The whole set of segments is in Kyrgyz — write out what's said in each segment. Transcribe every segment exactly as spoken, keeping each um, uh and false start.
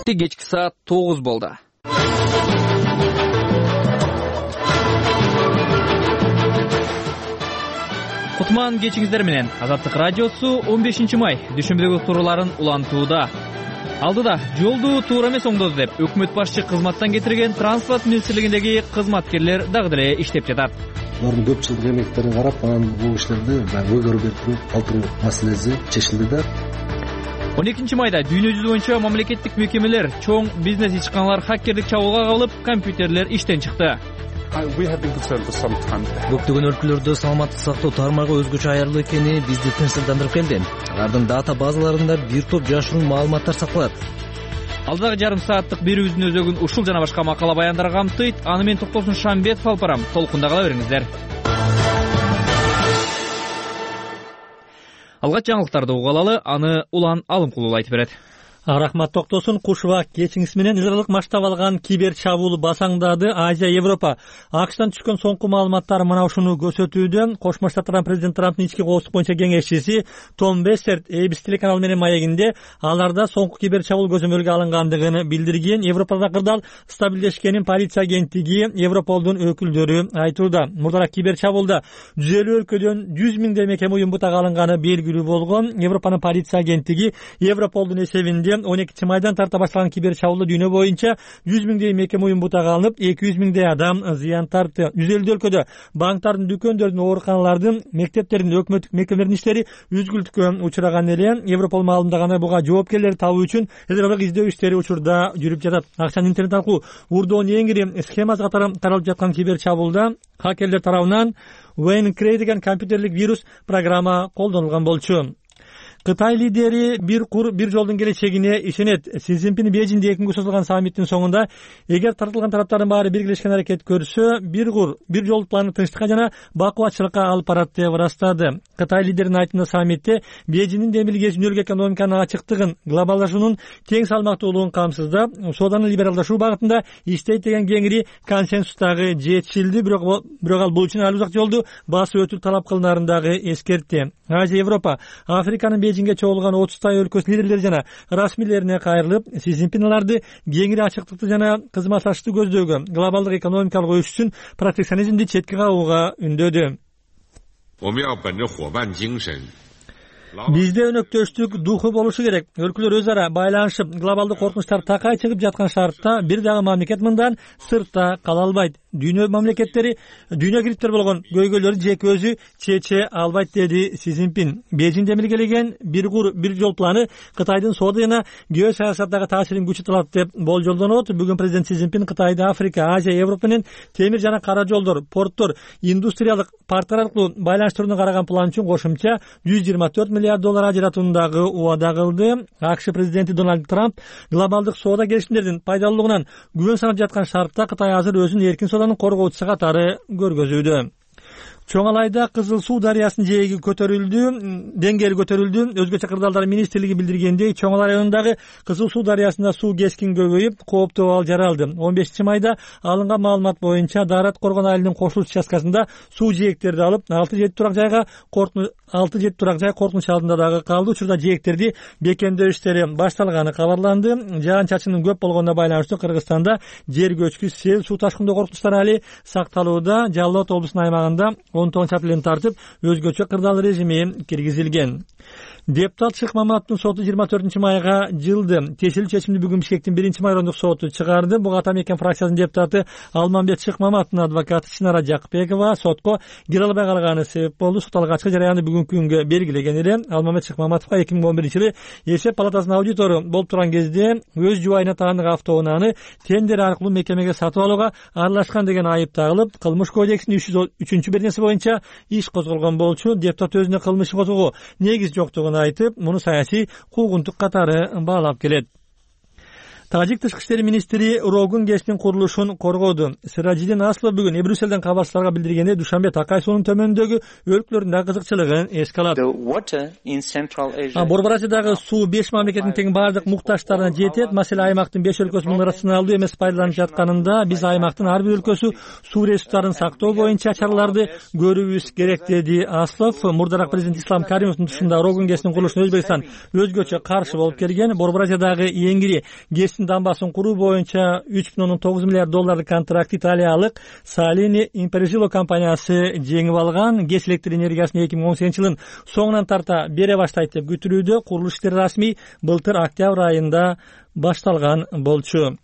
Кечки саат тогуз болду. Кутман кечиңиздер менен Азаттык радиосу он бешинчи май дүшүмбүдөгү туураларын улантууда. Алдыда жолду туура эмес оңдоду деп өкмөт башчы кызматтан кетирген транспорт министрлигиндеги кызматкерлер дагы деле иштеп жатат. Алардын көп жылдык эмектерин карап, анан бул иштерди өйгөрүп берип туруп калтыруу маселеси чечилди да. он экинчи майда дүйнө жүзү боюнча мамлекеттик мекемелер, чоң бизнес ичканалар хаккердик чабуулга кабылып, компьютерлер иштен чыкты. Көптөгөн өлкөлөрдө саламаттык сактоо тармагы өзгөчө аярлуу экени бизди тынчсыздандырып келди. Алардын дата базаларында бир топ жашыруун маалыматтар сакталат. Алдагы жарым сааттык берүүбүздүн өзөгүн ушул жана башка макала баяндар камтыйт. Аны менен Токтосун Шамбетов алып барам. Толкунда кала бериңиздер. Алгач жаңылыктарды угалы, аны Улан Алымкулов айтып берет. Рахмат Токтосун. Кушуба кечиңиз менен ылдырдык масштаб алган кибер чабуул басаңдады. Азия, Европа. АКШтан түшкөн соңку маалыматтар мына ушуну көрсөтүүдө. Кошмо Штаттардан президент Трамптын ички коопсуздук боюнча кеңешчиси Том Бессерт A B C телеканалы менен маегинде аларда соңку кибер чабуул көзөмөлгө алынгандыгын билдирген. Европада кырдаал стабилдешкенин полиция агенттиги Европолдун өкүлдөрү айтууда. Мурдараак кибер чабуулда жүз элүү өлкөдөн жүз миңдей мекеме уюм бутак алынганы белгилүү болгон. Европанын полиция агенттиги Европолдун эсебинде он экинчи майдан тарта башталган кибер чабуулда дүйнө боюнча жүз миңдей мекеме уюм бутак алынып, эки жүз миңдей адам зыян тартты. жүз элүү өлкөдө банктардын, дүкөндөрдүн, ооруканалардын, мектептердин, өкмөттүк мекемелердин иштери үзгүлтүккө учураган эле. Европол маалымдагандай, буга жоопкерлерди табуу үчүн эдералык издөө иштери учурда жүрүп жатат. Акчанын интернет аркылуу урдоонун эң ири схемасы катары таралып жаткан кибер чабуулда хакерлер тарабынан WannaCry деген компьютерлик вирус программа колдонулган болчу. Кытай лидери бир кур бир жолдун келечегине ишенет. Си Цзиньпин Бейжиңде эки күнгө созулган саммиттин соңунда эгер тартылган тараптардын баары биргелешкен аракет көрсө, бир кур бир жол планы тынчтыкка жана бакубатчылыкка алып барат деп ырастады. Кытай лидеринин айтымында саммитте Бейжиңдин демилгеси дүнөлүк экономиканын ачыктыгын, глобалдашуунун тең салмактуулугун камсыздап, сооданы либералдашуу багытында иштейт деген кеңири консенсустагы жетишилди. Бирок бирок ал бул үчүн ал узак жолду басып өтүү талап кылынарын дагы эскертти. Азия, Европа, Африканын Бейжиңге чогулган отуздай өлкөсү лидерлери жана расмийлерине кайрылып, Си Цзиньпин аларды кеңири ачыктыкты жана кызматташтыкты көздөгөн глобалдык экономикалык өсүш үчүн протекционизмди четке кагууга үндөдү. Бизде өнөктөштүк духу болушу керек. Өлкөлөр өз ара байланышып, глобалдык коркунучтар такай чыгып жаткан шартта бир дагы мамлекет мындан сыртта кала албайт. Дүйнө мамлекеттери, дүйнө кириптер болгон көйгөйлөрдү жеке өзү чече албайт, деди Си Цзиньпин. Бейжиң демилгелеген бир кур бир жол планы Кытайдын соода жана геосаясаттагы таасирин күчөтөт деп болжолдонот. Бүгүн президент Си Цзиньпин Кытайды Африка, Азия, Европа менен темир жана кара жолдор, порттор, индустриялык парктар аркылуу байланыштырууну караган план үчүн кошумча жүз жыйырма төрт миллиард доллар ажыратуундагы убада кылды. АКШ президенти Дональд Трамп глобалдык соода келишимдердин пайдалуулугунан күбөн санап жаткан шартта Кытай азыр өзүнүн эркин сооданын коргоочусу катары көргөзүүдө. Чоң Алайда Кызыл Суу дарыясынын жээги көтөрүлдү, деңгээли көтөрүлдү. Өзгөчө кырдаалдар министрлиги билдиргендей, Чоң Алай районундагы Кызыл Суу дарыясында суу кескин көбөйүп, кооптуу абал жаралды. он бешинчи майда алынган маалымат боюнча Дарат Коргон айылынын кошулуш участкасында суу жээктерди алып, алты жети турак жайга коркунуч алты жети турак жай коркунуч алдында дагы калды. Учурда жээктерди бекемдөө иштери башталганы кабарланды. Жаан-чачындын көп болгонуна байланыштуу Кыргызстанда жер көчкү, сел, суу ташкындоо коркунучтары али сакталууда. Жалал Абад облусунун аймагында он тогузунчу апрелден тартып өзгөчө кырдаал режими киргизилген. Депутат Шык Маматовдун соту жыйырма төртүнчү майга жылды. Тиешелүү чечимди бүгүн Бишкектин биринчи майрондук соту чыгарды. Буга Ата Мекен фракциясынын депутаты Алмамбет Шык Маматовдун адвокаты Чынара Жакпекова сотко кире албай калганы себеп болду. Сот алгачкы жараянды бүгүнкү күнгө белгилеген эле. Алмамбет Шык Маматовго эки миң он биринчи жылы эсеп палатасынын аудитору болуп турган кезде өз жубайына таандык автоунааны тендер аркылуу мекемеге сатып алууга аралашкан деген айып тагылып, кылмыш кодексинин үч жүз үчүнчү беренеси боюнча иш козголгон болчу. Депутат өзүнө кылмыш козгоого негиз жоктугун айтып, муну саясий куугунтук катары баалап келет. Тажик тышкы иштер министри Рогун КЭСтин курулушун коргоду. Сиражидин Аслов бүгүн Брюссельден кабарчыларга билдиргенде Душанбе Такай суунун төмөнүндөгү өлкөлөрүндө кызыкчылыгын эске алат. Борбор Азиядагы суу беш мамлекеттин тең бардык муктаждарына жетет. Маселе аймактын беш өлкөсүнүн рационалдуу эмес пайдаланып жатканында биз аймактын ар бир өлкөсү суу ресурстарын сактоо боюнча чараларды көрүүбүз керек, деди Аслов. Мурдараак президент Ислам Каримовдун тушунда Рогун КЭСтин курулушуна Өзбекстан өзгөчө каршы болуп келген. Борбор Азиядагы эң ири КЭС көпүрөсүнүн дамбасын куруу боюнча үч бүтүн ондон тогуз миллиард долларлык контракт италиялык Salini Imprello компаниясы жеңип алган. ГЭС электр энергиясын эки миң он сегизинчи жылдын соңунан тарта бере баштайт деп күтүлүүдө. Курулуш иштери расмий былтыр октябрь айында башталган болчу.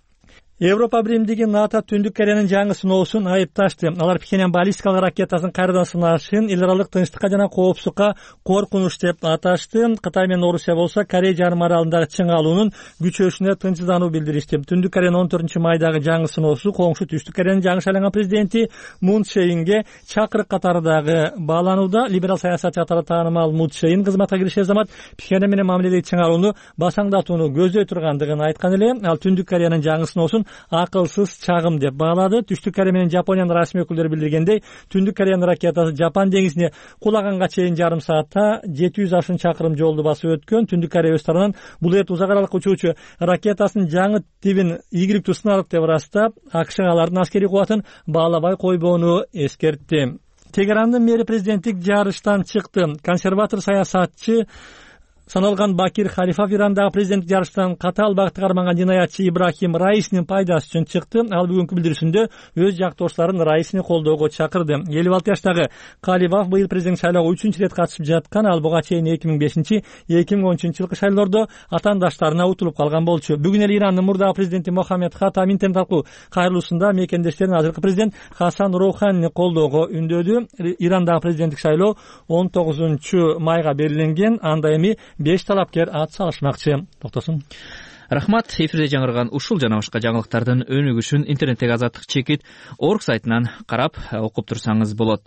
Европа биримдиги НАТО Түндүк Кореянын жаңы сыноосун айыпташты. Алар Пхеньян баллистикалык ракетасын кайрадан сынашын эл аралык тынчтыкка жана коопсуздукка коркунуч деп аташты. Кытай менен Орусия болсо Корея жарым аралындагы чың алуунун күчөшүнө тынчсыздануу билдиришти. Түндүк Кореянын он төртүнчү майдагы жаңы сыноосу коңшу Түштүк Кореянын жаңы шайланган президенти Мун Чжэ-инге чакырык катары дагы бааланууда. Либерал саясатчы катары таанымал Мун Чжэ-ин кызматка киришер замат Пхеньян менен мамиледеги чың алууну басаңдатууну көздөй тургандыгын айткан эле. Ал Түндүк Кореянын жаңы сыноосун акылсыз чагым деп баалады. Түштүк Корея менен Жапониянын расмий өкүлдөрү билдиргендей, Түндүк Кореянын ракетасы Жапон деңизине кулаганга чейин жарым саатта жети жүз ашын чакырым жолду басып өткөн. Түндүк Корея өз тарабынан бул эрт узак аралык учуучу ракетасынын жаңы тибин ийгиликтүү сынадык деп ырастап, АКШ алардын аскерий кубатын баалабай койбоону эскертти. Тегерандын мэри президенттик жарыштан чыкты. Консерватор саясатчы саналган Бакир Халифов Ирандагы президенттик жарыштан катаал багытта карманган жинаятчы Ибрахим Раисинин пайдасы үчүн чыкты. Ал бүгүнкү билдирүүсүндө өз жактоошторун Раисини колдоого чакырды. элүү алты жаштагы Халифов быйыл президент шайлоого үчүнчү ирет катышып жаткан. Ал буга чейин эки миң бешинчи эки миң он үчүнчү жылкы шайлоодо атаандаштарына утулуп калган болчу. Бүгүн эле Ирандын мурдагы президенти Мохаммед Хатам интернет аркылуу кайрылуусунда мекендештерин азыркы президент Хасан Роуханини колдоого үндөдү. Ирандагы президенттик шайлоо он тогузунчу майга белгиленген. Анда эми беш талапкер ат салышмакчы. Токтосун. Рахмат. Эфирде жаңырган ушул жана башка жаңылыктардын өнүгүшүн интернеттеги Азаттык чекит орг сайтынан карап окуп турсаңыз болот.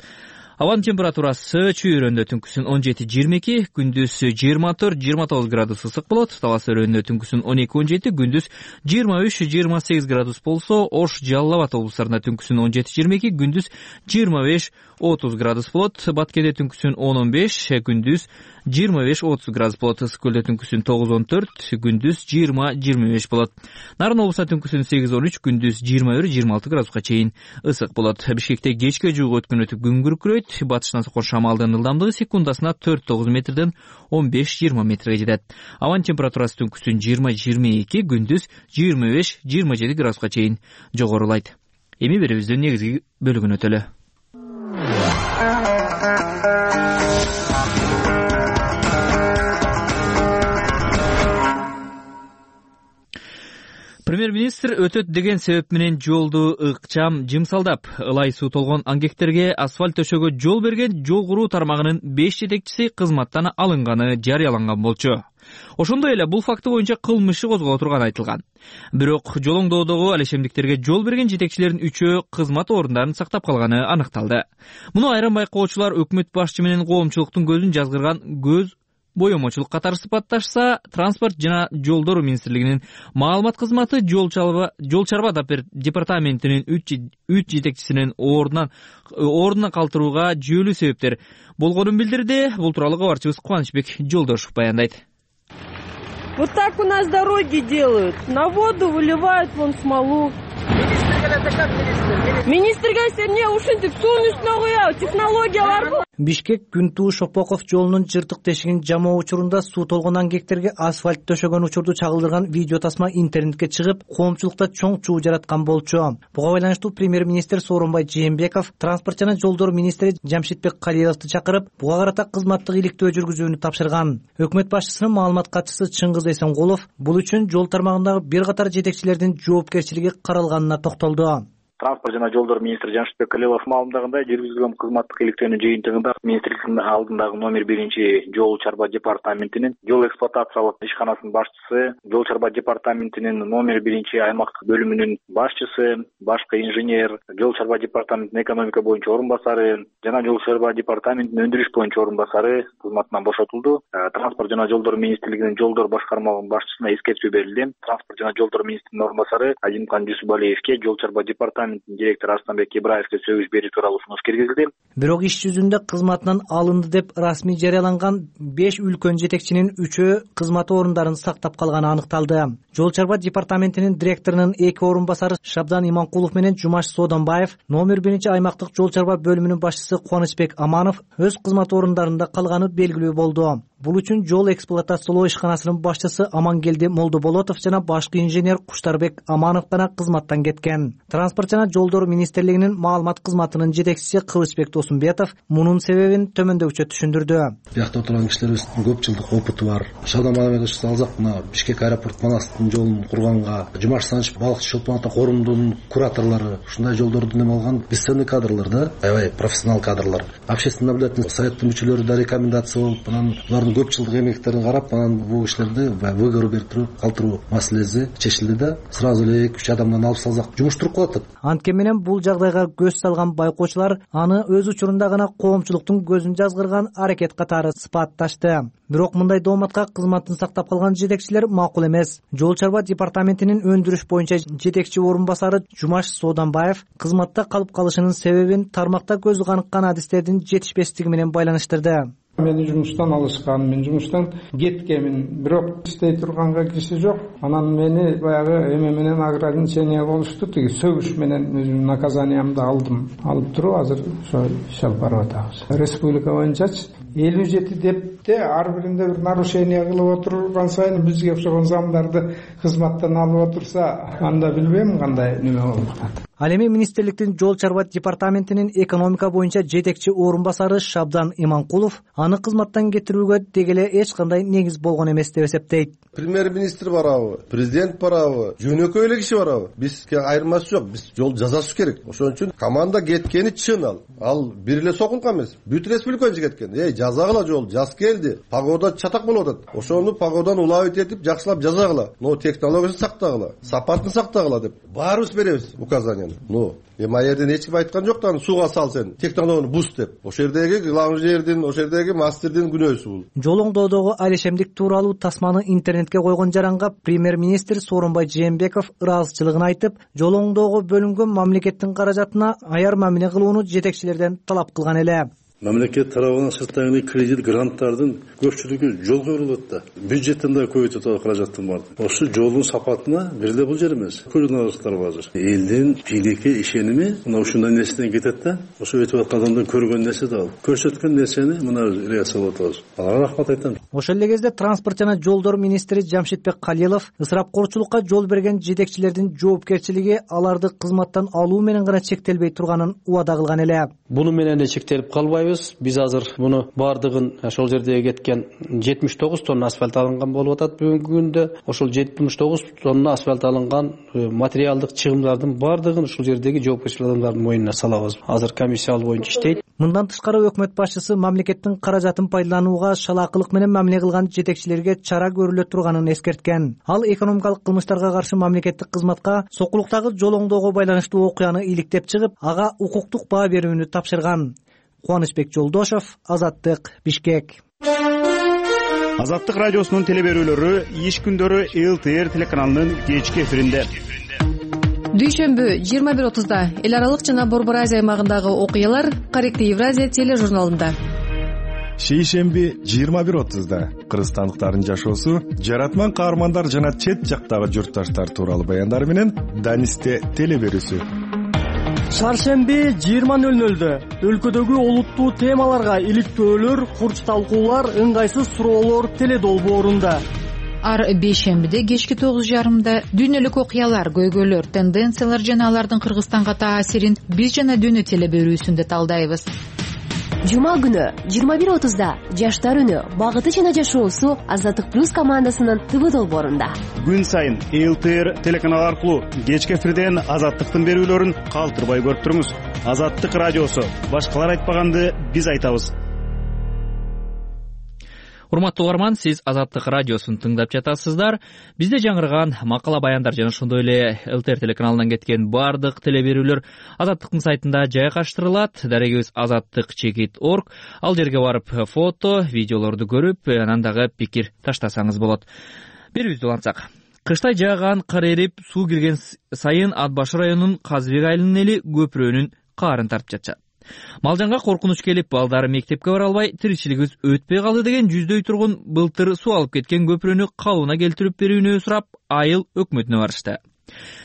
Абанын температурасы чүйөрөндө түнкүсүн он жети жыйырма эки, күндүз жыйырма төрт жыйырма тогуз градус ысык болот. Талас өрөндө түнкүсүн он эки он жети, күндүз жыйырма үч жыйырма сегиз градус болсо, Ош, Жалал Абад облустарында түнкүсүн он жети жыйырма эки, күндүз жыйырма беш отуз градус болот. Баткенде түнкүсүн он он беш, күндүз жыйырма беш отуз градус болот. Ысык көлдө түнкүсүн тогуз он төрт, күндүз жыйырма жыйырма беш болот. Нарын облусунда түнкүсүн сегиз он үч, күндүз жыйырма бир жыйырма алты градуска чейин ысык болот. Бишкекте кечке жугу өткөн өтүп күн күркүрөйт. Батыштан соккон шамалдын ылдамдыгы секундасына төрт тогуз метрден он беш жыйырма метрге жетет. Абанын температурасы түнкүсүн жыйырма жыйырма эки, күндүз жыйырма беш жыйырма жети градуска чейин жогорулайт. Эми берүүбүздүн негизги бөлүгүнө өтөлү. Премьер-министр өтөт деген себеп менен жолду ыкчам жымсалдап, ылай суу толгон аңгектерге асфальт төшөгө жол берген жол куруу тармагынын беш жетекчиси кызматтан алынганы жарыяланган болчу. Ошондой эле бул факты боюнча кылмыш козголо турганы айтылган. Бирок жолоңдоодогу алешемдиктерге жол берген жетекчилердин үчөө кызмат орундарын сактап калганы аныкталды. Муну айрым байкоочулар өкмөт башчы менен коомчулуктун көзүн жазгырган көз боемочулук катары сыпатташса, транспорт жана жолдор министрлигинин маалымат кызматы жол чарба жол чарба департаментинин үч жетекчисинин ордунан ордуна калтырууга жүйөлүү себептер болгонун билдирди. Бул тууралуу кабарчыбыз Кубанычбек Жолдошев баяндайт. Вот так у нас дороги делают. На воду выливают вон смолу. Министрге эмне ушинтип суунун үстүнө коёбу, технологиялар бул. Бишкек Күнтуу Шопоков жолунун жыртык тешигин жамоо учурунда суу толгон аңгектерге асфальт төшөгөн учурду чагылдырган видео тасма интернетке чыгып, коомчулукта чоң чуу жараткан болчу. Буга байланыштуу премьер-министр Сооронбай Жээнбеков транспорт жана жолдор министри Жамшитбек Калиевди чакырып, буга карата кызматтык иликтөө жүргүзүүнү тапшырган. Өкмөт башчысынын маалымат катчысы Чыңгыз Эсенкулов бул үчүн жол тармагындагы бир катар жетекчилердин жоопкерчилиги каралганына токтолду. Транспорт жана жолдор министри Жамшитбек Калиев маалымдагандай, жүргүзүлгөн кызматтык иликтөөнүн жыйынтыгында министрликтин алдындагы номер биринчи жол чарба департаментинин жол эксплуатациялык ишканасынын башчысы, жол чарба департаментинин номер биринчи аймактык бөлүмүнүн башчысы, башкы инженер, жол чарба департаментинин экономика боюнча орун басары жана жол чарба департаментинин өндүрүш боюнча орун басары кызматынан бошотулду. Транспорт жана жолдор министрлигинин жолдор башкармалыгынын башчысына эскертүү берилди. Транспорт жана жолдор министринин орун басары Азимкан Жусупалиевке жол чарба департамент директор Арстанбек Ибраевке сөгүш берүү тууралуу сунуш киргизилди. Бирок иш жүзүндө кызматынан алынды деп расмий жарыяланган беш үлкөн жетекчинин үчөө кызмат орундарын сактап калганы аныкталды. Жол чарба департаментинин директорунун эки орун басары Шабдан Иманкулов менен Жумаш Содонбаев, номер биринчи аймактык жол чарба бөлүмүнүн башчысы Кубанычбек Аманов өз кызмат орундарында калганы белгилүү болду. Бул үчүн жол эксплуатациялоо ишканасынын башчысы Амангелди Молдоболотов жана башкы инженер Куштарбек Аманов гана кызматтан кеткен. Транспорт жана жолдор министрлигинин маалымат кызматынын жетекчиси Кылычбек Досумбетов мунун себебин төмөндөгүчө түшүндүрдү. Биякта отурган кишилерибиздин көп жылдык опыту бар. Шабдан Мамедович алсак, мына Бишкек аэропорт манастын жолун курганга, Жумаш Саныч балыкчы Чолпон Ата корумдун кураторлору, ушундай жолдорду эме алган бесценный кадрлар да, аябай профессионал кадрлар. Общественный наблюдательный советтин мүчөлөрү да рекомендация болуп, анан булардын көп жылдык эмектерин карап, анан бул кишилерди выгору берип туруп калтыруу маселеси чечилди да, сразу эле эки үч адамдан алып салсак жумуштуруп калат. Анткени менен бул жагдайга көз салган байкоочулар аны өз учурунда гана коомчулуктун көзүн жазгырган аракет катары сыпатташты. Бирок мындай дооматка кызматын сактап калган жетекчилер макул эмес. Жол чарба департаментинин өндүрүш боюнча жетекчи орун басары Жумаш Сооданбаев кызматта калып калышынын себебин тармакта көзү каныккан адистердин жетишпестиги менен байланыштырды. Мени жумуштан алышкан, мен жумуштан кеткенмин, бирок иштей турганга киши жок. Анан мени баягы эме менен ограничение болушту, тиги сөгүш менен өзүмдүн наказаниямды алдым. Алып туруп азыр ошо иш алып барып атабыз. Республика боюнчачы элүү жети депте ар биринде бир нарушение кылып отурган сайын бизге окшогон замдарды кызматтан алып отурса, анда билбейм кандай неме болуп атат. Ал эми министрликтин жол чарба департаментинин экономика боюнча жетекчи орун басары Шабдан Иманкулов аны кызматтан кетирүүгө деги эле эч кандай негиз болгон эмес деп эсептейт. Премьер-министр барабы, президент барабы, жөнөкөй эле киши барабы, бизге айырмасы жок, биз жол жасашыбыз керек. Ошон үчүн команда кеткени чын ал. Ал бир эле сокулка эмес, бүт республиканы кеткен. Эй, жазагыла жол, жаз келди, погода чатак болуп атат. Ошону погоданы улабыт этип, жакшылап жазагыла. Но технологиясын сактагыла, сапатын сактагыла деп баарыбыз беребиз указание. Ну, эми ал жерден эч ким айткан жок да, сууга сал сен, технологияны буз деп. Ошол жердеги главный ошол жердеги мастердин күнөөсү бул. Жол оңдоодогу алишемдик тууралуу тасманы интернетке койгон жаранга премьер-министр Сооронбай Жээнбеков ыраазычылыгын айтып, жол оңдоого бөлүнгөн мамлекеттин каражатына аяр мамиле кылууну жетекчилерден талап кылган эле. Мамлекет тарабынан сырттагы кредит гранттардын көпчүлүгү жолго берилет да. Бюджеттен да көбөйтүп атат каражаттын барды. Ошо жолдун сапатына бир эле бул жер эмес. Көрүнөрлүктөр бар. Элдин бийликке ишеними мына ушундай нерседен кетет да. Ошо өтүп аткан адамдан көргөн нерсе да ал. Көрсөткөн нерсени мына реакция болуп атабыз. Аларга рахмат айтам. Ошол эле кезде транспорт жана жолдор министри Жамшитбек Калилов ысырапкорчулукка жол берген жетекчилердин жоопкерчилиги аларды кызматтан алуу менен гана чектелбей турганын убада кылган эле. Буну менен эле чектелип калбайбыз. Биз азыр муну бардыгын ошол жердеги кеткен жетимиш тогуз тонна асфальт алынган болуп атат бүгүнкү күндө. Ошол жетимиш тогуз тонна асфальт алынган материалдык чыгымдардын бардыгын ушул жердеги жоопкерчилик адамдардын мойнуна салабыз. Азыр комиссия алуу боюнча иштейт. Мындан тышкары өкмөт башчысы мамлекеттин каражатын пайдаланууга шалаакылык менен мамиле кылган жетекчилерге чара көрүлө турганын эскерткен. Ал экономикалык кылмыштарга каршы мамлекеттик кызматка сокулуктагы жол оңдоого байланыштуу окуяны иликтеп чыгып, ага укуктук баа берүүнү тапшырган. Кубанычбек Жолдошов, Азаттык, Бишкек. Азаттык радиосунун телеберүүлөрү иш күндөрү эл тэ эр телеканалынын кечки эфиринде. Дүйшөмбү жыйырма бир отузда эл аралык жана Борбор Азия аймагындагы окуялар Корректный Евразия тележурналында. Шейшемби жыйырма бир отузда кыргызстандыктардын жашоосу, жаратман каармандар жана чет жактагы журтташтар тууралуу баяндар менен Данисте телеберүүсү. Шаршемби жыйырма нөл нөлдө өлкөдөгү олуттуу темаларга иликтөөлөр, курч талкуулар, ыңгайсыз суроолор теледолбоорунда. Ар бейшембиде кечки тогуз жарымда дүйнөлүк окуялар, көйгөйлөр, тенденциялар жана алардын Кыргызстанга таасирин биз жана дүйнө телеберүүсүндө талдайбыз. Жума күнү жыйырма бир отузда жаштар үнү, багыты жана жашоосу Азаттык плюс командасынын ТВ долбоорунда. Күн сайын эл тэ эр телеканалы аркылуу кечки эфирден Азаттыктын берүүлөрүн калтырбай көрүп туруңуз. Азаттык радиосу, башкалар айтпаганды биз айтабыз. Урматтуу угарман, сиз Азаттык радиосун тыңдап жатасыздар. Бизде жаңырган макала баяндар жана ошондой эле эл тэ эр телеканалынан кеткен бардык телеберүүлөр Азаттыктын сайтында жайгаштырылат. Дарегибиз азаттык чекит точка орг. Ал жерге барып фото, видеолорду көрүп, анан дагы пикир таштасаңыз болот. Берүүбүздү улантсак. Кыштай жааган кар эрип, суу кирген сайын Ат башы районунун Казыбек айылынын эли көпүрөнүн каарын тартып жатышат. Малжанга коркунуч келип, балдары мектепке бара албай, тиричилигибиз өтпөй калды деген жүздөй тургун былтыр суу алып кеткен көпүрөнү калыбына келтирип берүүнү сурап, айыл өкмөтүнө барышты.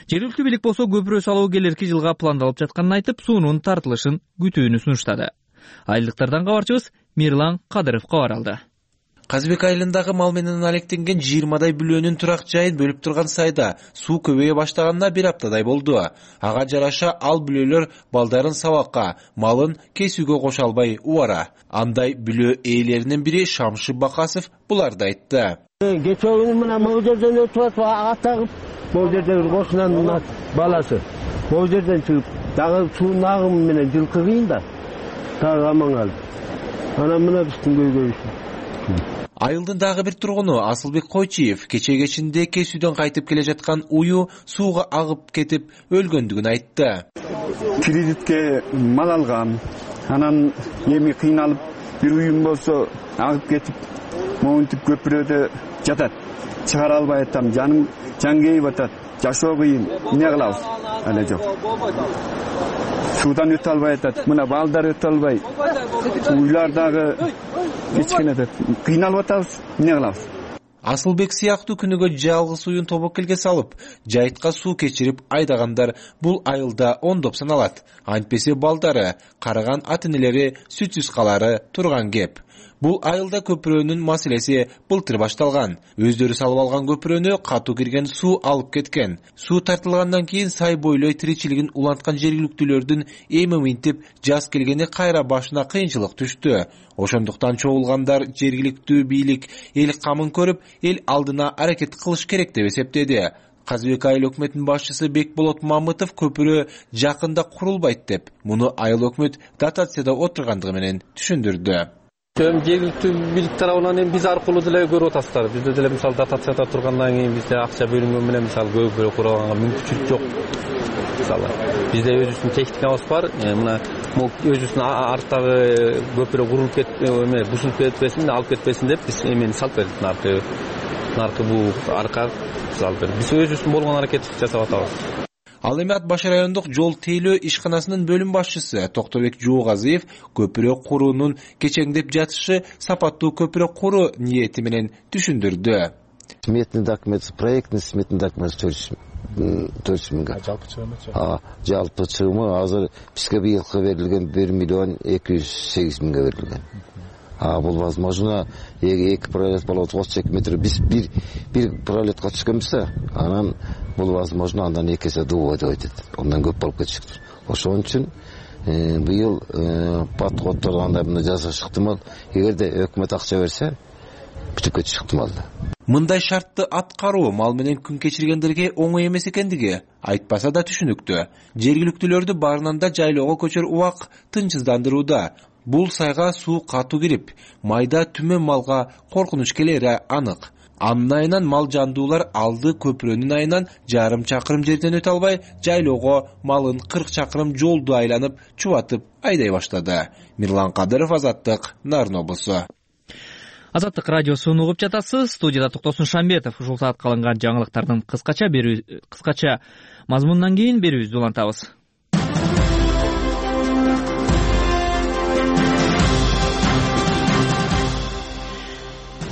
Жергиликтүү бийлик болсо көпүрө салуу келерки жылга пландалып жатканын айтып, суунун тартылышын күтүүнү сунуштады. Айылдыктардан кабарчыбыз Мирлан Кадыров кабар алды. Казыбек айылындагы мал менен алектенген жыйырмадай бүлөөнүн турак жайын бөлүп турган сайда суу көбөйө баштаганына бир аптадай болду. Ага жараша ал бүлөлөр балдарын сабакка, малын кесүүгө кошо албай убара. Андай бүлөө ээлеринин бири Шамши Бакасов буларды айтты. Кече күнү мына могу жерден өтүп атып ага тагып, могу жерде бир кошунанын баласы могу жерден чыгып, дагы суунун агымы менен жылкы кыйын да. Дагы аман калды. Анан мына биздин көйгөйүбүз. Айылдын дагы бир тургуну Асылбек Койчиев кече кечинде кесүүдөн кайтып келе жаткан уyu сууга агып кетип өлгөндүгүн айтты. Кредитке мал алгам. Анан эми кыйналып бир уюм болсо агып кетип, моунтип көпүрөдө жатат. Чыгара албай атам, жаным жан кейип атат. Жашоо кыйын. Эмне кылабыз? Эле жок. Суудан өтө албай атат. Мына балдар өтө албай. Уйлар дагы кечкене деп кыйналып атабыз. Эмне кылабыз? Асылбек сыяктуу күнүгө жалгыз уюн тобокелге салып, жайытка суу кечирип айдагандар бул айылда ондоп саналат. Антпесе балдары, карыган ата-энелери сүтсүз калары турган кеп. Бул айылда көпүрөнүн маселеси былтыр башталган. Өздөрү салып алган көпүрөнү катуу кирген суу алып кеткен. Суу тартылгандан кийин сай бойлой тиричилигин уланткан жергиликтүүлөрдүн эми минтип жаз келгени кайра башына кыйынчылык түштү. Ошондуктан чогулгандар жергиликтүү бийлик эл камын көрүп, эл алдына аракет кылыш керек деп эсептеди. Казыбек айыл өкмөтүнүн башчысы Бекболот Мамытов көпүрө жакында курулбайт деп, муну айыл өкмөт дотацияда отургандыгы менен түшүндүрдү. Жергиликтүү бийлик тарабынан эми биз аркылуу деле көрүп атасыздар. Бизде деле мисалы дотацияда тургандан кийин бизде акча бөлүнгөн менен мисалы көпүрө курганга мүмкүнчүлүк жок. Мисалы бизде өзүбүздүн техникабыз бар. Мына өзүбүздүн арттагы көпүрө курулуп кетип, эме бузулуп кетпесин, алып кетпесин деп биз эмени салып бердик. Наркы наркы бул арка салып бердик. Биз өзүбүздүн болгон аракетти жасап атабыз. Ал эми Ат Баш райондук жол тейлөө ишканасынын бөлүм башчысы Токтобек Жуугазиев көпүрө куруунун кечеңдеп жатышы сапаттуу көпүрө куруу ниети менен түшүндүрдү. Сметный документ, проектный сметный документ төрт жүз миңге. Жалпы чыгымы? А, жалпы чыгымы азыр бизге быйылкы берилген бир миллион эки жүз сегиз миңге берилген. А бул возможно эки пролет болот отуз эки метр. Биз бир бир пролетка түшкөнбүз, анан бул возможно андан эки эсе дуу деп айтат. Ондан көп болуп кетишиктир. Ошон үчүн быйыл подходдор андай мына жасаш ыктымал. Эгерде өкмөт акча берсе, бүтүп кетиш ыктымал. Мындай шартты аткаруу мал менен күн кечиргендерге оңой эмес экендиги айтпаса да түшүнүктүү. Жергиликтүүлөрдү баарынан да жайлоого көчөр убак тынчсыздандырууда. Бул сайга суу катуу кирип, майда түмөн малга коркунуч келери анык. Анын айынан мал жандуулар алды көпүрөнүн айынан жарым чакырым жерден өтө албай, жайлоого малын кырк чакырым жолду айланып, чубатып айдай баштады. Мирлан Кадыров, Азаттык, Нарын облусу. Азаттык радиосун угуп жатасыз. Студияда Токтосун Шамбетов. Ушул саатка алынган жаңылыктардын кыскача берүү кыскача мазмунунан кийин берүүбүздү улантабыз.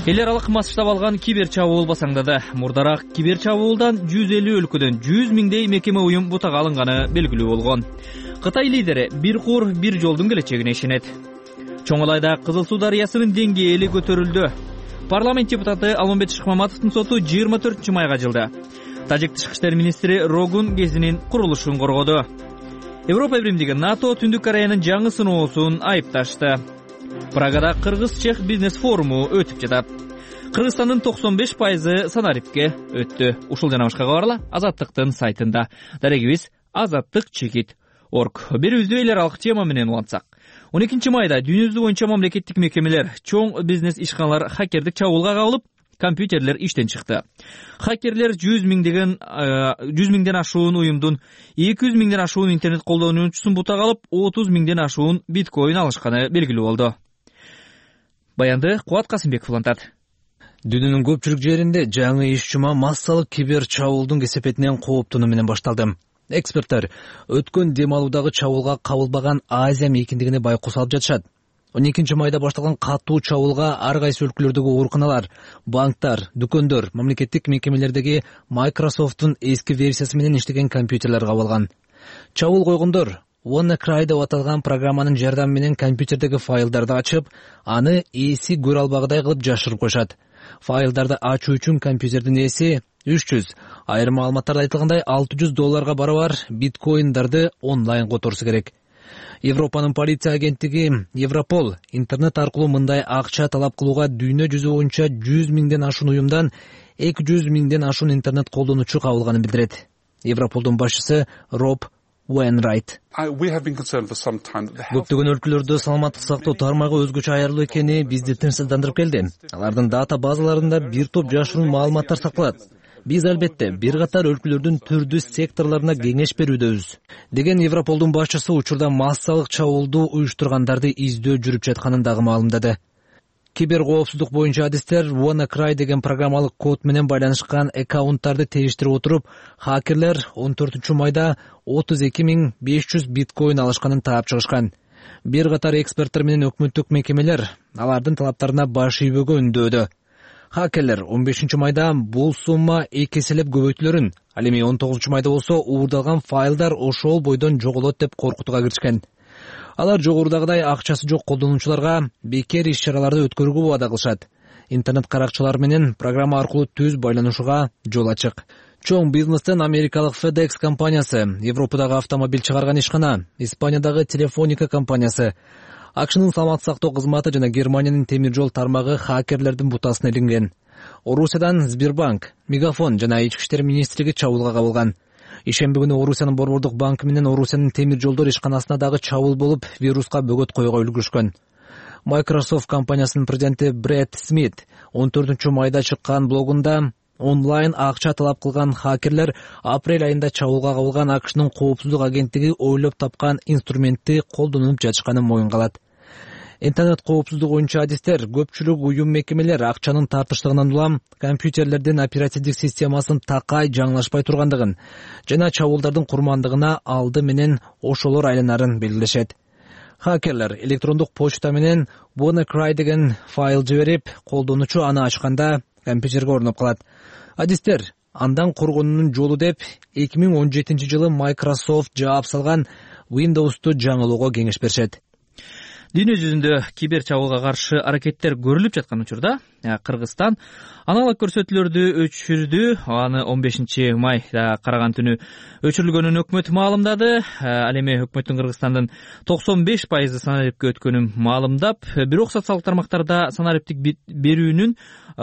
Эл аралык масштаб алган кибер чабуул басаңдады. Мурдараак кибер чабуулдан жүз элүү өлкөдөн жүз миңдей мекеме уюм бутага алынганы белгилүү болгон. Кытай лидери бир кур, бир жолдун келечегине ишенет. Чоңалайда Кызыл Суу дарыясынын деңгээли көтөрүлдү. Парламент депутаты Алмамбет Шыкмаматовдун соту жыйырма төртүнчү майга жылды. Тажик тышкы иштер министри Рогун Гезинин курулушун коргоду. Европа биримдиги НАТО Түндүк Кореянын жаңы сыноосун айыпташты. Прагада Кыргыз-Чех бизнес форуму өтүп жатат. Кыргызстандын токсон беш пайызы санарипке өттү. Ушул жана башка кабарлар Азаттыктын сайтында. Дарегибиз азаттык чекит точка орг. Берүүбүздү эл аралык тема менен улантсак. он экинчи майда дүйнө жүзү боюнча мамлекеттик мекемелер, чоң бизнес ишканалар хакердик чабуулга кабылып, компьютерлер иштен чыкты. Хакерлер жүз миңдеген жүз миңден ашуун уюмдун эки жүз миңден ашуун интернет колдонуучусун бутага алып, отуз миңден ашуун биткоин алышканы белгилүү болду. Баянды Кубат Касымбеков улантат. Дүйнөнүн көпчүлүк жеринде жаңы иш жума массалык кибер чабуулдун кесепетинен кооптонуу менен башталды. Эксперттер өткөн дем алуудагы чабуулга кабылбаган Азия мейкиндигине байкоо салып жатышат. он экинчи майда башталган катуу чабуулга ар кайсы өлкөлөрдөгү ооруканалар, банктар, дүкөндөр, мамлекеттик мекемелердеги Microsoft'тун эски версиясы менен иштеген компьютерлер кабылган. Чабуул койгондор WannaCry деп аталган программанын жардамы менен компьютердеги файлдарды ачып, аны ээси көрө албагыдай кылып жашырып коюшат. Файлдарды ачуу үчүн компьютердин ээси үч жүз, айрым маалыматтарда айтылгандай алты жүз долларга барабар биткоиндарды онлайн которсу керек. Европанын полиция агенттиги Европол интернет аркылуу мындай акча талап кылууга дүйнө жүзү боюнча жүз миңден ашуун уюмдан эки жүз миңден ашуун интернет колдонуучу кабылганын билдирет. Европолдун башчысы Роб Wainwright. Көптөгөн өлкөлөрдө саламаттык сактоо тармагы өзгөчө аярлуу экени бизди тынчсыздандырып келди. Алардын дата базаларында бир топ жашыруун маалыматтар сакталат. Биз албетте бир катар өлкөлөрдүн түрдүү секторлоруна кеңеш берүүдөбүз, деген Европолдун башчысы учурда массалык чабуулду уюштургандарды издөө жүрүп жатканын дагы маалымдады. Кибер коопсуздук боюнча адистер WannaCry деген программалык код менен байланышкан аккаунттарды териштирип отуруп, хакерлер он төртүнчү майда отуз эки миң беш жүз биткоин алышканын таап чыгышкан. Бир катар эксперттер менен өкмөттүк мекемелер алардын талаптарына баш ийбөөгө үндөөдү. Хакерлер он бешинчи майда бул сумма эки эселеп көбөйтүлөрүн, ал эми он тогузунчу майда болсо уурдалган файлдар ошол бойдон жоголот деп коркутууга киришкен. Алар жогорудагыдай акчасы жок колдонуучуларга бекер иш-чараларды өткөрүүгө убада кылышат. Интернет каракчылар менен программа аркылуу түз байланышууга жол ачык. Чоң бизнестен Америкалык FedEx компаниясы, Европадагы автомобиль чыгарган ишкана, Испаниядагы Телефоника компаниясы, АКШнын саламаттык сактоо кызматы жана Германиянын темир жол тармагы хакерлердин бутасына илинген. Орусиядан Сбербанк, Мегафон жана Ички иштер министрлиги чабуулга кабылган. Ишемби күнү Орусиянын борбордук банкы менен Орусиянын темир жолдор ишканасына дагы чабуул болуп, вируска бөгөт коюуга үлгүрүшкөн. Microsoft компаниясынын президенти Брэд Смит он төртүнчү майда чыккан блогунда онлайн акча талап кылган хакерлер апрель айында чабуулга кабылган АКШнын коопсуздук агенттиги ойлоп тапкан инструментти колдонуп жатышканын моюнга алат. Интернет коопсуздугу боюнча адистер көпчүлүк уюм мекемелер акчанын тартыштыгынан улам компьютерлердин оперативдик системасын такай жаңылашпай тургандыгын жана чабуулдардын курмандыгына алды менен ошолор айланарын белгилешет. Хакерлер электрондук почта менен WannaCry деген файл жиберип, колдонуучу аны ачканда компьютерге орноп калат. Адистер андан коргонуунун жолу деп эки миң он жетинчи жылы Microsoft жаап салган Windows'ту жаңылоого кеңеш беришет. Дүйнө жүзүндө кибер чабуулга каршы аракеттер көрүлүп жаткан учурда Кыргызстан аналог көрсөтүүлөрдү өчүрдү. Аны он бешинчи майда караган түнү өчүрүлгөнүн өкмөт маалымдады. Ал эми өкмөттүн Кыргызстандын токсон беш пайызы санариптке өткөнүн маалымдап, бирок социалдык тармактарда санариптик берүүнүн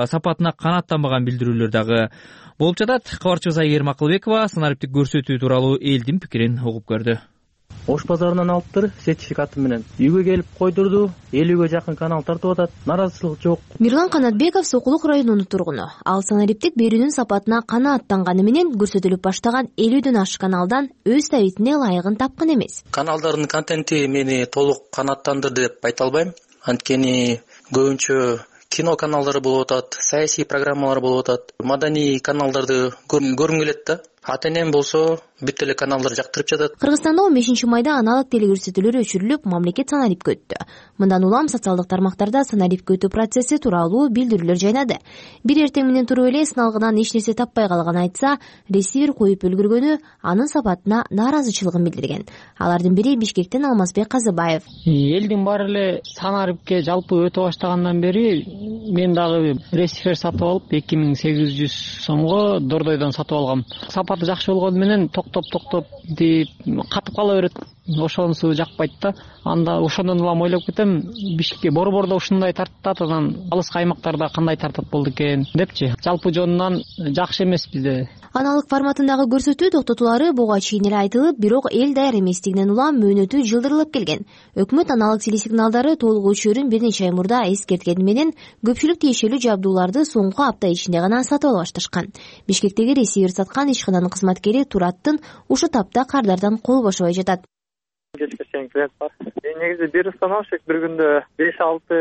сапатына канааттанбаган билдирүүлөр дагы болуп жатат. Кабарчыбыз Айгерим Акылбекова санариптик көрсөтүү тууралуу элдин пикирин угуп көрдү. Ош базарынан алыптыр сертификаты менен. Үйгө келип койдурду, элүүгө жакын канал тартып атат. Наразычылык жок. Мирлан Канатбеков Сокулук районунун тургуну. Ал санариптик берүүнүн сапатына канааттанганы менен көрсөтүлүп баштаган элүүдөн ашык каналдан өз табитине ылайыгын тапкан эмес. Каналдардын контенти мени толук канааттандырды деп айта албайм. Анткени көбүнчө кино каналдары болуп атат, саясий программалар болуп атат, маданий каналдарды көргүм келет да. Ата-энем болсо бүт эле каналдар жактырып жатат. Кыргызстанда он бешинчи майда аналог телекөрсөтүүлөр өчүрүлүп, мамлекет санарипке өттү. Мындан улам социалдык тармактарда санарипке өтүү процесси тууралуу билдирүүлөр жайнады. Бир эртең менен туруп эле сыналгынан эч нерсе таппай калган айтса, ресивер коюп үлгүргөнү анын сапатына нааразычылыгын билдирген. Алардын бири Бишкектен Алмазбек Казыбаев. Элдин баары эле санарипке жалпы өтө баштагандан бери мен дагы ресивер сатып алып эки миң сегиз жүз сомго Дордойдон сатып алгам. Сапаты жакшы болгону менен токтоп токтоп деп катып кала берет. Ошонусу жакпайт да. Анда ошондон улам ойлоп кетем, Бишкекке борбордо ушундай тартат, анан алыскы аймактарда кандай тартат болду экен депчи. Жалпы жонунан жакшы эмес бизде. Аналык форматындагы көрсөтүү токтотулары буга чейин эле айтылып, бирок эл даяр эместигинен улам мөөнөтү жылдырылып келген. Өкмөт аналык телесигналдары толук өчүрүүн бир нече ай мурда эскерткени менен көпчүлүк тиешелүү жабдууларды соңку апта ичинде гана сатып ала башташкан. Бишкектеги ресивер саткан ишкананын кызматкери Тураттын ушу тапта кардардан кол бошобой жатат. Кечке чейин клиент бар. Негизи бир установщик бир күндө беш алты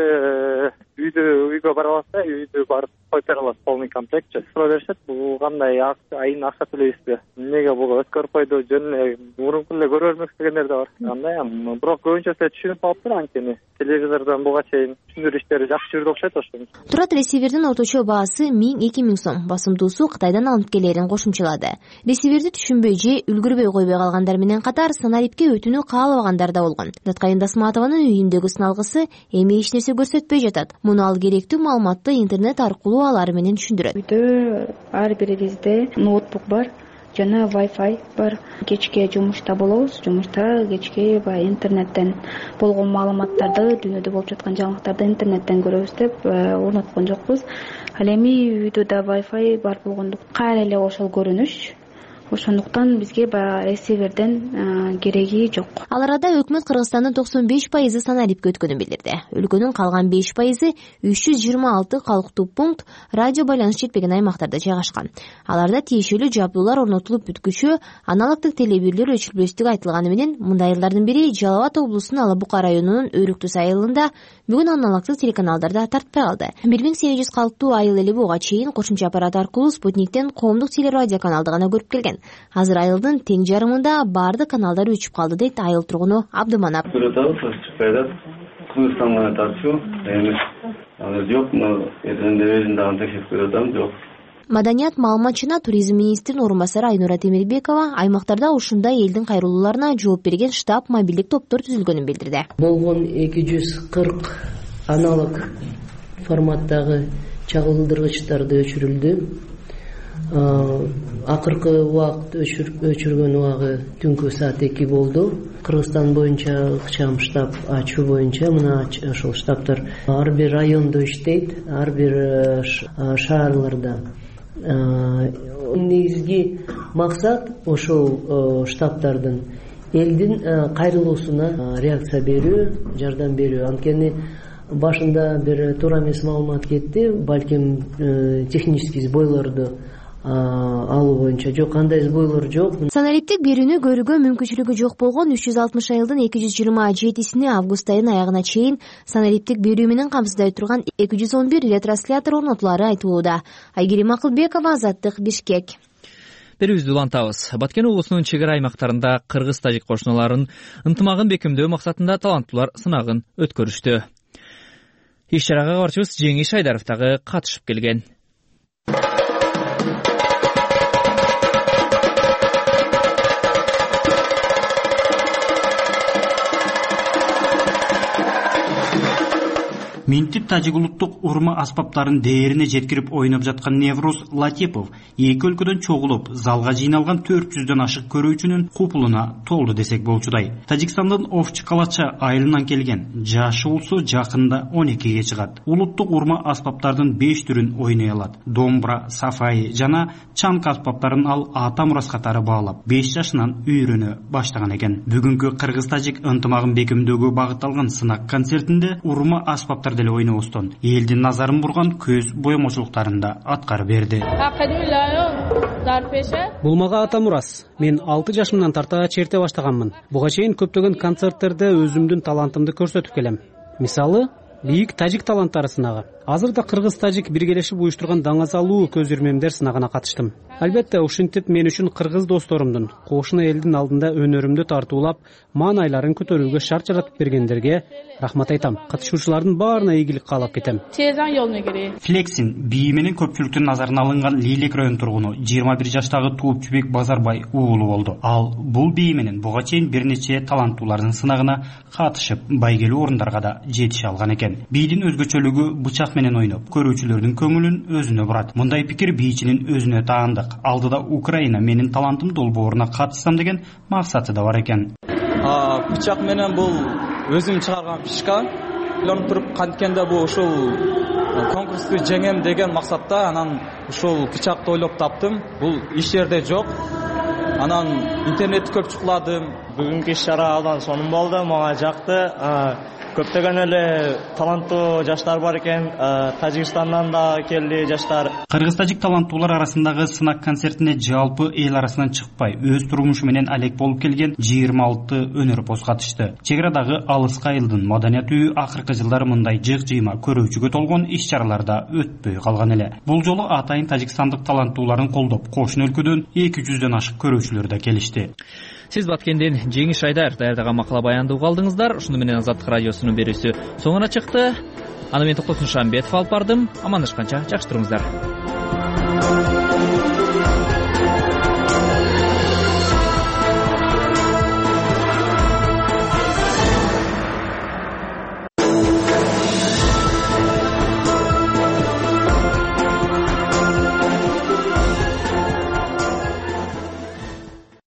үйдү үйгө бара алат да, үйдү барып коюп бере алат, полный комплектчи. Суроо беришет, бул кандай айын акча төлөйсүзбү? Эмнеге буга өткөрүп койду, жөн эле мурунку эле көрө бермекчи дегендер да бар. Андай, бирок көбүнчөсү түшүнүп алыптыр анткени телевизордон буга чейин түшүндүрүү иштери жакшы жүрдү окшойт ошо. Турат ресивердин орточо баасы миң эки миң сом, басымдуусу Кытайдан алынып келерин кошумчалады. Ресиверди түшүнбөй же үлгүрбөй койбой калгандар менен катар санарипке өтүүнү каалабагандар да болгон. Наткайын Дасматованын үйүндөгү сыналгысы эми эч нерсе көрсөтпөй жатат. Муну ал керектүү маалыматты интернет аркылуу алары менен түшүндүрөт. Үйдө ар бирибизде ноутбук бар жана Wi-Fi бар. Кечке жумушта болобуз. Жумушта кечке баягы интернеттен болгон маалыматтарды, дүйнөдө болуп жаткан жаңылыктарды интернеттен көрөбүз деп орноткон жокпуз. Ал эми үйдө да Wi-Fi бар болгондуктан кайра эле ошол көрүнүш. Ошондуктан бизге баягы ресиверден кереги жок. Ал арада өкмөт Кыргызстандын токсон беш пайызы санарипке өткөнүн билдирди. Өлкөнүн калган беш пайызы үч жүз жыйырма алты калктуу пункт радио байланыш жетпеген аймактарда жайгашкан. Аларда тиешелүү жабдуулар орнотулуп бүткүчө аналогдук телебирлер өчүрүлбөстүгү айтылганы менен мындай айылдардын бири Жалал Абад облусунун Ала Бука районунун Өрүктүс айылында бүгүн аналогдук телеканалдарда тартпай калды. бир миң сегиз жүз калктуу айыл эли буга чейин кошумча аппарат аркылуу Спутниктен коомдук телерадио каналды гана көрүп келген. Азыр айылдын тең жарымында баардык каналдар өчүп калды дейт айыл тургуну Абдыманап. Кыргызстанга тартуу эми азыр жок, но эсенде өзүн дагы текшерип көрүп атам, жок. Маданият, маалымат жана туризм министринин орун басары Айнура Темирбекова аймактарда ушундай элдин кайрылууларына жооп берген штаб мобилдик топтор түзүлгөнүн билдирди. Болгон эки жүз кырк аналог форматтагы чагылдыргычтарды өчүрүлдү. Акыркы убакыт өчүргөн убагы түнкү саат эки болду. Кыргызстан боюнча ыкчам штаб ачуу боюнча мына ошол штабтар ар бир райондо иштейт, ар бир шаарларда. Негизги максат ошол штабтардын элдин кайрылуусуна реакция берүү, жардам берүү. Анткени башында бир туура эмес маалымат кетти, балким технический сбойлорду алуу боюнча жок, кандай сбойлор жок. Санариптик берүүнү көрүүгө мүмкүнчүлүгү жок болгон үч жүз алтымыш айылдын эки жүз жыйырма жетисине август айынын аягына чейин санариптик берүү менен камсыздай турган эки жүз он бир ретранслятор орнотулары айтылууда. Айгерим Акылбекова, Азаттык, Бишкек. Берүүбүздү улантабыз. Баткен облусунун чек ара аймактарында кыргыз-тажик кошуналарынын ынтымагын бекемдөө максатында таланттуулар сынагын өткөрүштү. Иш чарага кабарчыбыз Жеңиш Айдаров дагы катышып келген. Минтип тажик улуттук урма аспаптарын дээрине жеткирип ойноп жаткан Неврус Латипов эки өлкөдөн чогулуп залга жыйналган төрт жүздөн ашык көрүүчүнүн купулуна толду десек болчудай. Тажикстандын Овчи Калача айылынан келген жашы болсо жакында он экиге чыгат. Улуттук урма аспаптардын беш түрүн ойной алат. Домбра, сафаи жана чанк аспаптарын ал ата мурас катары баалап беш жашынан үйрөнө баштаган экен. Бүгүнкү кыргыз-тажик ынтымагын бекемдөөгө багытталган сынак концертинде урма аспаптар деле ойнобостон элдин назарын бурган көз боемочулуктарында аткарып берди. Бул мага ата мурас. Мен алты жашымдан тарта черте баштаганмын. Буга чейин көптөгөн концерттерде өзүмдүн талантымды көрсөтүп келем. Мисалы, бийик тажик таланттары сынагы. Азырда кыргыз-тажик биргелешип уюштурган даңазалуу көз ирмемдер сынагына катыштым. Албетте, ушинтип мен үчүн кыргыз досторумдун кошуна элдин алдында өнөрүмдү тартуулап, маанайларын көтөрүүгө шарт жаратып бергендерге рахмат айтам. Катышуучулардын баарына ийгилик каалап кетем. Флексин бии менен көпчүлүктүн назарына алынган Лилек район тургуну жыйырма бир жаштагы Туупчубек Базарбай уулу болду. Ал бул бии менен буга чейин бир нече таланттуулардын сынагына катышып, байгелүү орундарга да жетише алган экен. Бийдин өзгөчөлүгү бычак менен ойноп, көрүүчүлөрдүн көңүлүн өзүнө бурат. Мындай пикир бийчинин өзүнө таандык. Алдыда Украина менин талантым долбооруна катышсам деген максаты да бар экен. Бычак менен бул өзүм чыгарган фишка. Ойлонуп туруп канткенде бул ушул конкурсту жеңем деген максатта анан ушул бычакты ойлоп таптым. Бул иш жерде жок. Анан интернетти көп чукуладым. Бүгүнкү иш чара абдан сонун болду, мага жакты. Көптөгөн эле таланттуу жаштар бар экен, Тажикстандан да келди жаштар. Кыргыз-тажик таланттуулар арасындагы сынак концертине жалпы эл арасынан чыкпай, өз турмушу менен алек болуп келген жыйырма алты өнөрпоз катышты. Чек арадагы Алыска айылдын маданият үйү акыркы жылдары мындай жык-жыйма көрүүчүгө толгон иш чараларда өтпөй калган эле. Бул жолу атайын тажикстандык таланттууларын колдоп, кошуна өлкөдөн эки жүздөн ашык көрүүчүлөр да келишти. Сиз Баткенден Жеңиш Айдар даярдаган макала баянды угалдыңыздар. Ушуну менен Азаттык радиосунун берүүсү соңуна чыкты. аны мен Токтосун Шамбетов алып бардым. Амандашканча жакшы туруңуздар.